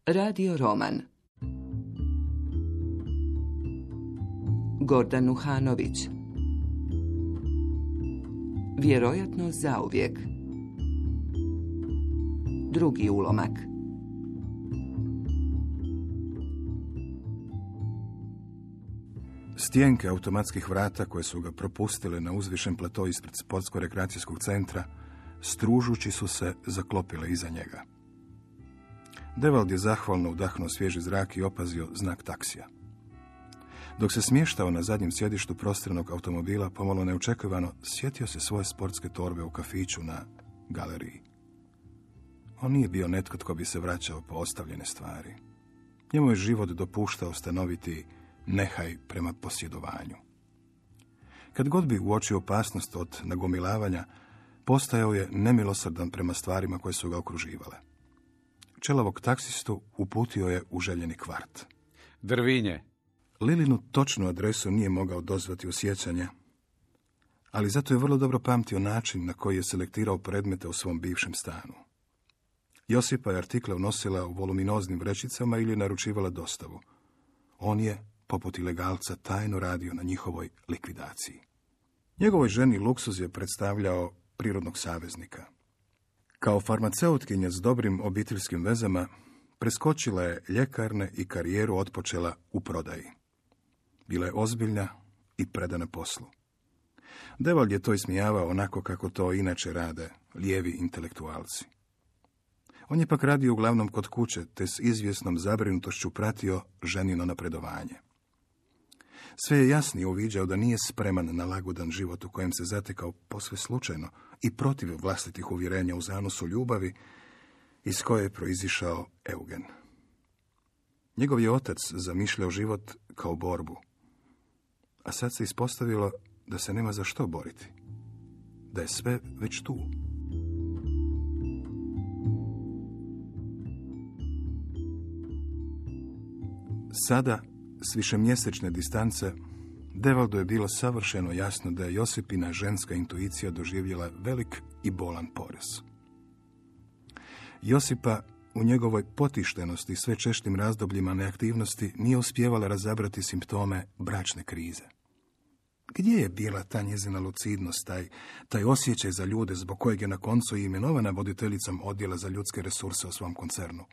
Radio roman. Gordan Nuhanović. Vjerojatno zauvijek. Drugi ulomak. Stijenke automatskih vrata koje su ga propustile na uzvišen plato ispred sportsko-rekreacijskog centra, stružući su se, zaklopile iza njega. Devald je zahvalno udahnuo svježi zrak i opazio znak taksija. Dok se smještao na zadnjem sjedištu prostranog automobila, pomalo neočekivano sjetio se svoje sportske torbe u kafiću na galeriji. On nije bio netko tko bi se vraćao po ostavljene stvari. Njemu je život dopuštao stanoviti nehaj prema posjedovanju. Kad god bi uočio opasnost od nagomilavanja, postajao je nemilosrdan prema stvarima koje su ga okruživale. Čelavog taksistu uputio je u željeni kvart. Drvinje. Lilinu točnu adresu nije mogao dozvati u sjećanje, ali zato je vrlo dobro pamtio način na koji je selektirao predmete u svom bivšem stanu. Josipa je artikle unosila u voluminoznim vrećicama ili naručivala dostavu. On je, poput ilegalca, tajno radio na njihovoj likvidaciji. Njegovoj ženi luksuz je predstavljao prirodnog saveznika. Kao farmaceutkinja s dobrim obiteljskim vezama, preskočila je ljekarne i karijeru otpočela u prodaji. Bila je ozbiljna i predana poslu. Devald je to ismijavao onako kako to inače rade lijevi intelektualci. On je pak radio uglavnom kod kuće, te s izvjesnom zabrinutošću pratio ženino napredovanje. Sve je jasnije uviđao da nije spreman na lagodan život u kojem se zatekao posve slučajno i protiv vlastitih uvjerenja u zanosu ljubavi iz koje je proizišao Eugen. Njegov je otac zamišljao život kao borbu, a sad se ispostavilo da se nema za što boriti, da je sve već tu. Sada, s višemjesečne distance, Devaldu je bilo savršeno jasno da je Josipina ženska intuicija doživjela velik i bolan porez. Josipa u njegovoj potištenosti i sve češćim razdobljima neaktivnosti nije uspijevala razabrati simptome bračne krize. Gdje je bila ta njezina lucidnost, taj osjećaj za ljude zbog kojeg je na koncu i imenovana voditeljicom odjela za ljudske resurse u svom koncernu?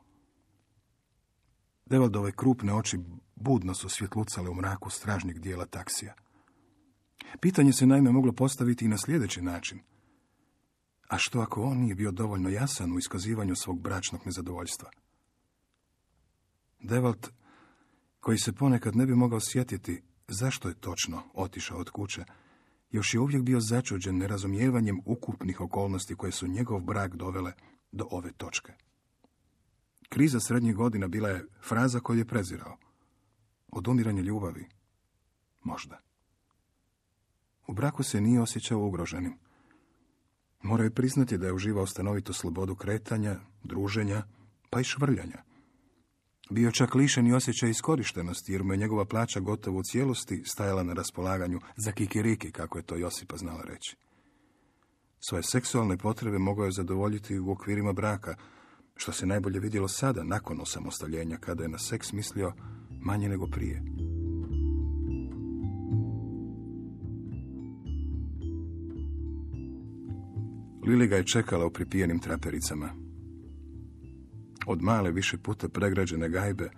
Devaldove krupne oči budno su svjetlucale u mraku stražnjeg dijela taksija. Pitanje se naime moglo postaviti i na sljedeći način. A što ako on nije bio dovoljno jasan u iskazivanju svog bračnog nezadovoljstva? Devald, koji se ponekad ne bi mogao sjetiti zašto je točno otišao od kuće, još je uvijek bio začuđen nerazumijevanjem ukupnih okolnosti koje su njegov brak dovele do ove točke. Kriza srednjih godina bila je fraza koju je prezirao. Odumiranje ljubavi? Možda. U braku se nije osjećao ugroženim. Morao je priznati da je uživao stanovitu slobodu kretanja, druženja, pa i švrljanja. Bio čak lišen i osjećaj iskorištenosti, jer mu je njegova plaća gotovo u cijelosti stajala na raspolaganju za kikiriki, kako je to Josipa znala reći. Svoje seksualne potrebe mogao je zadovoljiti u okvirima braka, što se najbolje vidjelo sada, nakon osamostaljenja, kada je na seks mislio manje nego prije. Lili ga je čekala u pripijenim trapericama. Od male, više puta pregrađene gajbe,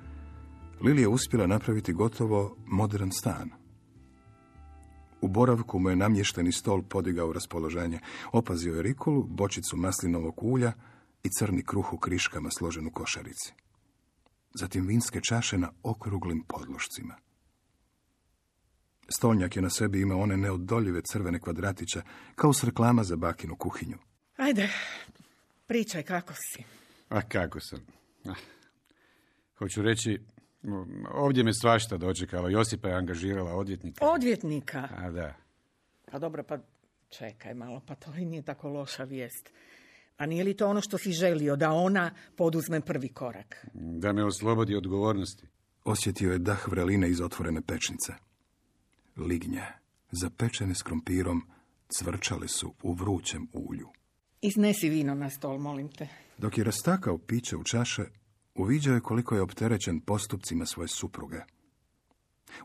Lili je uspjela napraviti gotovo modern stan. U boravku mu je namješteni stol podigao raspoloženje. Opazio je rikulu, bočicu maslinovog ulja i crni kruh u kriškama složen u košarici. Zatim vinske čaše na okruglim podlošcima. Stolnjak je na sebi imao one neodoljive crvene kvadratiće, kao s reklama za bakinu kuhinju. Ajde, pričaj kako si. A kako sam? Hoću reći, ovdje me svašta dočekalo. Josipa je angažirala odvjetnika. Odvjetnika? A da. Pa dobro, pa čekaj malo, pa to i nije tako loša vijest. A nije li to ono što si želio, da ona poduzme prvi korak? Da me oslobodi odgovornosti. Osjetio je dah vreline iz otvorene pečnice. Lignje, zapečene s krompirom, cvrčale su u vrućem ulju. Iznesi vino na stol, molim te. Dok je rastakao piće u čaše, Uviđao je koliko je opterećen postupcima svoje supruge.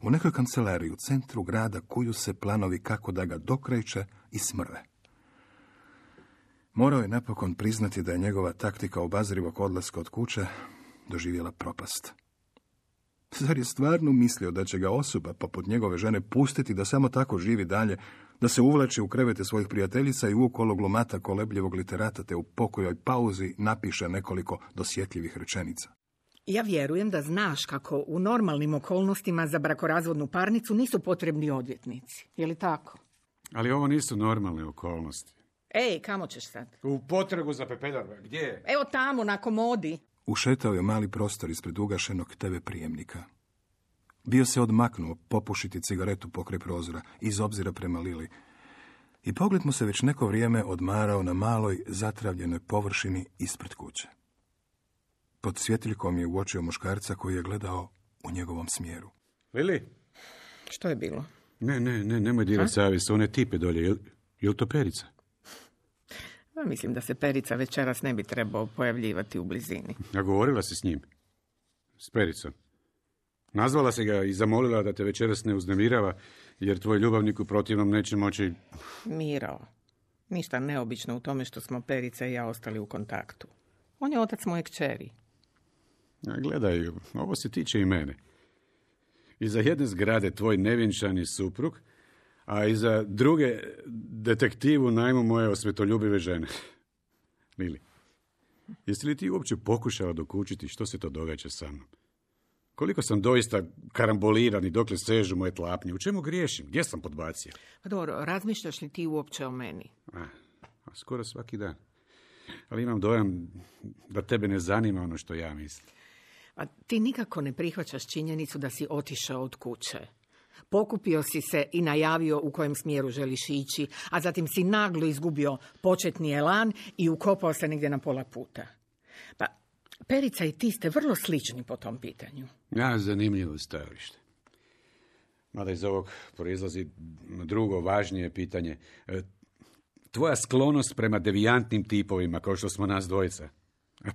U nekoj kancelariji u centru grada kuju se planovi kako da ga dokreće i smrve. Morao je napokon priznati da je njegova taktika obazrivog odlaska od kuće doživjela propast. Zar je stvarno mislio da će ga osoba poput njegove žene pustiti da samo tako živi dalje, da se uvlači u krevete svojih prijateljica i uokolo glumata kolebljivog literata te u pokojoj pauzi napiše nekoliko dosjetljivih rečenica? Ja vjerujem da znaš kako u normalnim okolnostima za brakorazvodnu parnicu nisu potrebni odvjetnici. Je li tako? Ali ovo nisu normalne okolnosti. Ej, kamo ćeš sad? U potragu za pepeljar. Gdje je? Evo tamo, na komodi. Ušetao je mali prostor ispred ugašenog TV prijemnika. Bio se odmaknuo popušiti cigaretu pokraj prozora, iz obzira prema Lili. I pogled mu se već neko vrijeme odmarao na maloj, zatravljenoj površini ispred kuće. Pod svjetiljkom je uočio muškarca koji je gledao u njegovom smjeru. Lili? Što je bilo? Nemoj dirati savjest, one tipe dolje. Je li to Perica? Mislim da se Perica večeras ne bi trebao pojavljivati u blizini. A govorila si s njim? S Pericom? Nazvala se ga i zamolila da te večeras ne uznemirava, jer tvoj ljubavnik u protivnom neće moći... Miro, ništa neobično u tome što smo Perica i ja ostali u kontaktu. On je otac moje kćeri. A gledaj, ovo se tiče i mene. Iza jedne zgrade tvoj nevjenčani suprug, a iza druge detektiv u najmu moje osvetoljubive žene. Lili, jesi li ti uopće pokušala dokučiti što se to događa sa mnom? Koliko sam doista karamboliran i dokle sežu moje tlapnje? U čemu griješim? Gdje sam podbacio? Pa dobro, razmišljaš li ti uopće o meni? Skoro svaki dan. Ali imam dojam da tebe ne zanima ono što ja mislim. A ti nikako ne prihvaćaš činjenicu da si otišao od kuće. Pokupio si se i najavio u kojem smjeru želiš ići, a zatim si naglo izgubio početni elan i ukopao se negdje na pola puta. Pa, Perica i ti ste vrlo slični po tom pitanju. Zanimljivo stajalište. Mada iz ovog proizlazi drugo važnije pitanje. Tvoja sklonost prema devijantnim tipovima, kao što smo nas dvojica.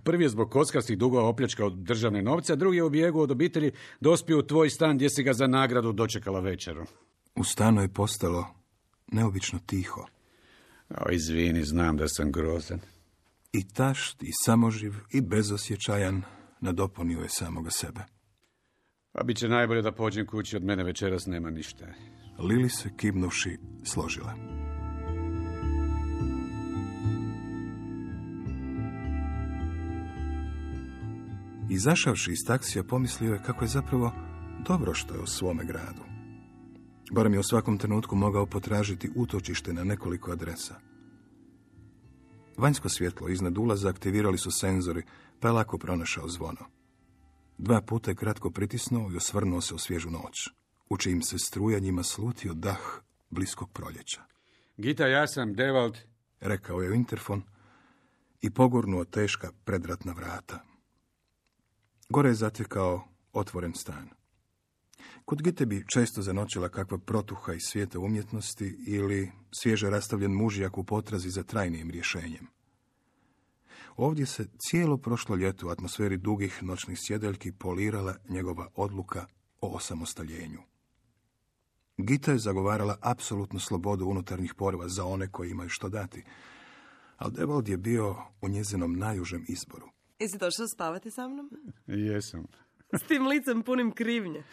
Prvi je zbog kockarskih dugova opljačkao državne novce, a drugi je u bijegu od obitelji dospio u tvoj stan gdje si ga za nagradu dočekala večerom. U stanu je postalo neobično tiho. Izvini, znam da sam grozan. I tašt, i samoživ, i bezosjećajan nadopunio je samoga sebe. Pa bit će najbolje da pođem kući, od mene večeras nema ništa. Lili se, kivnuši, složila. Izašavši iz taksija, pomislio je kako je zapravo dobro što je u svome gradu. Barem je u svakom trenutku mogao potražiti utočište na nekoliko adresa. Vanjsko svjetlo iznad ulaza aktivirali su senzori, pa je lako pronašao zvono. 2 puta je kratko pritisnuo i osvrnuo se u svježu noć, u čijim se strujanjima slutio dah bliskog proljeća. Gita, ja sam Devald, rekao je u interfon i pogurnuo teška predratna vrata. Gore je zatekao otvoren stan. Kod Gite bi često zanoćila kakva protuha iz svijeta umjetnosti ili svježe rastavljen mužjak u potrazi za trajnijim rješenjem. Ovdje se cijelo prošlo ljeto u atmosferi dugih noćnih sjedeljki polirala njegova odluka o osamostaljenju. Gita je zagovarala apsolutnu slobodu unutarnjih poriva za one koji imaju što dati, ali Devald je bio u njezinom najužem izboru. Jesi došao spavati sa mnom? Jesam. S tim licem punim krivnje.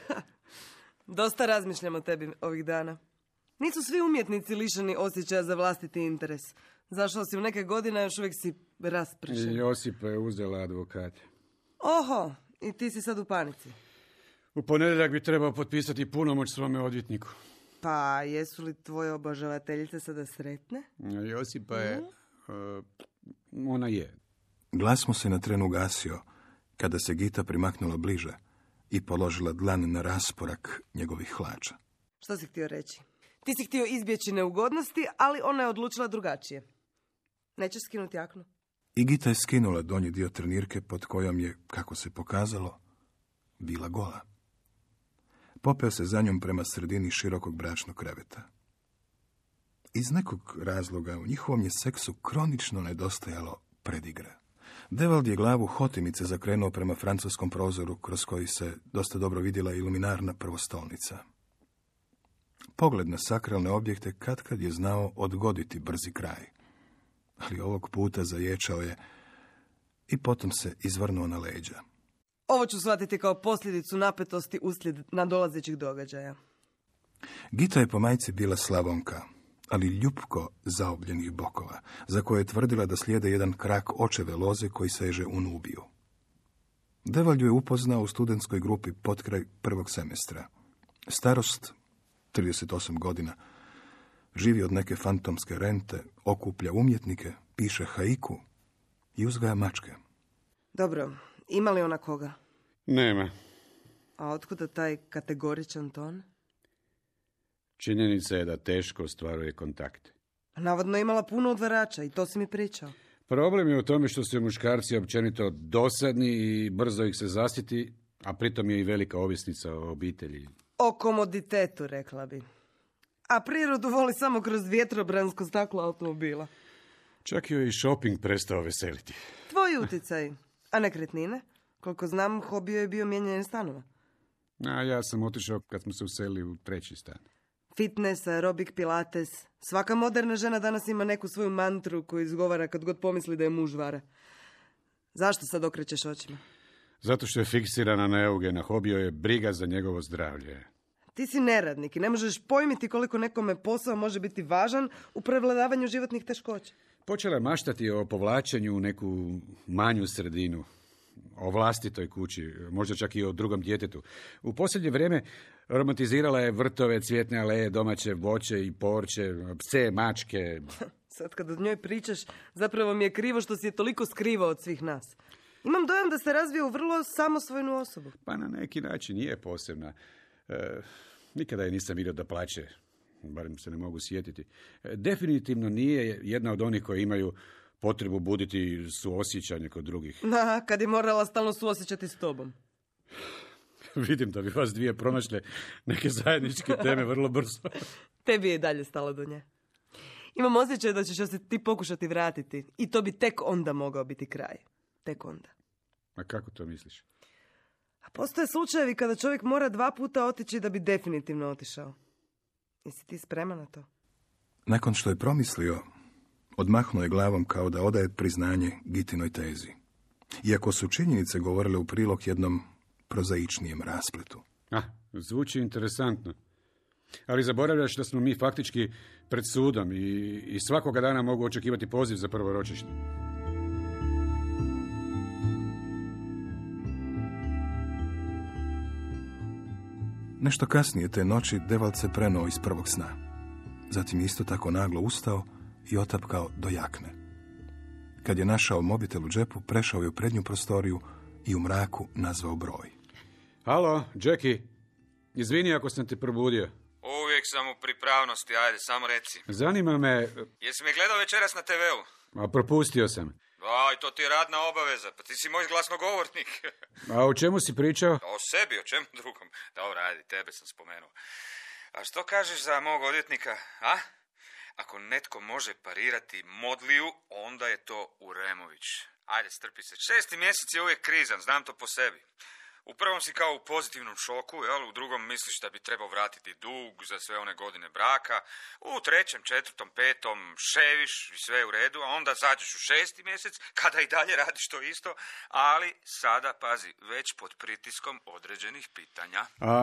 Dosta razmišljam o tebi ovih dana. Nisu svi umjetnici lišeni osjećaja za vlastiti interes. Zašao si u neke godine, još uvijek si raspršen. Josipa je uzela advokat. Oho, i ti si sad u panici. U ponedjeljak bi trebao potpisati punomoć svome odvjetniku. Pa, jesu li tvoje obožavateljice sada sretne? Josipa je... ona je. Glas mu se na tren ugasio kada se Gita primaknula bliže i položila dlan na rasporak njegovih hlača. Što si htio reći? Ti si htio izbjeći neugodnosti, ali ona je odlučila drugačije. Nećeš skinuti jaknu? I Gita je skinula donji dio trenirke pod kojom je, kako se pokazalo, bila gola. Popeo se za njom prema sredini širokog bračnog kreveta. Iz nekog razloga u njihovom je seksu kronično nedostajalo predigre. Devald je glavu hotimice zakrenuo prema francuskom prozoru, kroz koji se dosta dobro vidjela iluminarna prvostolnica. Pogled na sakralne objekte katkad je znao odgoditi brzi kraj, ali ovog puta zaječao je i potom se izvrnuo na leđa. Ovo ću shvatiti kao posljedicu napetosti uslijed nadolazećih događaja. Gita je po majci bila Slavonka, ali ljupko zaobljenih bokova, za koje je tvrdila da slijede jedan krak očeve loze koji seže u Nubiju. Devald ju je upoznao u studentskoj grupi potkraj prvog semestra. Starost, 38 godina, živi od neke fantomske rente, okuplja umjetnike, piše haiku i uzgaja mačke. Dobro, ima li ona koga? Nema. A otkuda taj kategoričan ton? Činjenica je da teško ostvaruje kontakte. Navodno je imala puno odvarača i to si mi pričao. Problem je u tome što su muškarci općenito dosadni i brzo ih se zasiti, a pritom je i velika ovisnica o obitelji. O komoditetu, rekla bi. A prirodu voli samo kroz vjetrobransko staklo automobila. Čak joj i shopping prestao veseliti. Tvoji utjecaj. A nekretnine? Koliko znam, hobi joj je bio mijenjanje stanova. A ja sam otišao kad smo se uselili u treći stan. Fitness, aerobik, pilates. Svaka moderna žena danas ima neku svoju mantru koju izgovara kad god pomisli da je muž vara. Zašto sad okrećeš očima? Zato što je fiksirana na Eugena, hobi joj je briga za njegovo zdravlje. Ti si neradnik i ne možeš pojmiti koliko nekome posao može biti važan u prevladavanju životnih teškoća. Počela je maštati o povlačenju u neku manju sredinu, o vlastitoj kući, možda čak i o drugom djetetu. U posljednje vrijeme romantizirala je vrtove, cvjetne aleje, domaće voće i povrće, pse, mačke. Sad kad o njoj pričaš, zapravo mi je krivo što si je toliko skrivao od svih nas. Imam dojam da se razvija u vrlo samosvojnu osobu. Pa na neki način je posebna. Nikada je nisam vidio da plače, barem se ne mogu sjetiti. Definitivno nije jedna od onih koji imaju potrebu buditi suosjećanje kod drugih. Kad je morala stalno suosjećati s tobom. Vidim da bi vas dvije pronašle neke zajedničke teme vrlo brzo. Tebi je i dalje stalo do nje. Imam osjećaj da ćeš se ti pokušati vratiti i to bi tek onda mogao biti kraj. Tek onda. A kako to misliš? A postoje slučajevi kada čovjek mora 2 puta otići da bi definitivno otišao. Jesi ti spreman na to? Nakon što je promislio, odmahnuo je glavom kao da odaje priznanje Gitinoj tezi. Iako su činjenice govorile u prilog jednom prozaičnijem raspletu. Zvuči interesantno. Ali zaboravljaš da smo mi faktički pred sudom i svakoga dana mogu očekivati poziv za prvo ročište. Nešto kasnije te noći Devald se prenuo iz prvog sna. Zatim je isto tako naglo ustao i otapkao do jakne. Kad je našao mobitel u džepu, prešao je u prednju prostoriju i u mraku nazvao broj. Halo, Jackie. Izvini ako sam te probudio. Uvijek sam u pripravnosti, ajde, samo reci. Zanima me... Jesi me gledao večeras na TV-u? A propustio sam. Aj, to ti je radna obaveza, pa ti si moj glasnogovornik. A o čemu si pričao? O sebi, o čemu drugom. Dobro, ajde, tebe sam spomenuo. A što kažeš za mog odvjetnika, a? Ako netko može parirati Modliju, onda je to Uremović. Ajde, strpi se. 6. mjesec je uvijek krizan, znam to po sebi. U prvom si kao u pozitivnom šoku, jel? U drugom misliš da bi trebao vratiti dug za sve one godine braka. U 3., 4., 5. ševiš i sve u redu, a onda zađeš u 6. mjesec kada i dalje radiš to isto, ali sada, pazi, već pod pritiskom određenih pitanja. A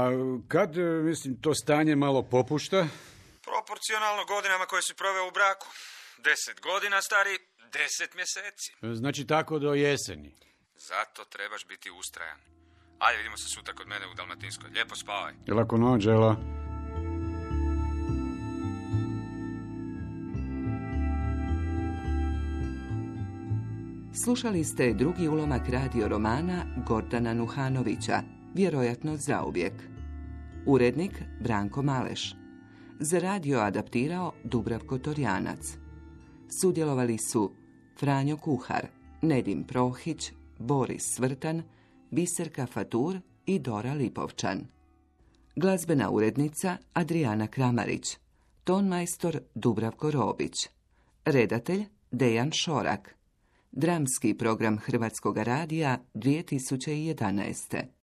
kad, to stanje malo popušta? Proporcionalno godinama koje si proveo u braku. 10 godina, stari, 10 mjeseci. Znači tako do jeseni. Zato trebaš biti ustrajan. Ajde, vidimo se sutra kod mene u Dalmatinskoj. Lijepo spavaj. Lako noć, Ela. Slušali ste drugi ulomak radio romana Gordana Nuhanovića, Vjerojatno zauvijek. Urednik Branko Maleš. Za radio adaptirao Dubravko Torjanac. Sudjelovali su Franjo Kuhar, Nedim Prohić, Boris Svrtan, Biserka Fatur i Dora Lipovčan. Glazbena urednica Adriana Kramarić. Tonmajstor Dubravko Robić. Redatelj Dejan Šorak. Dramski program Hrvatskog radija 2011.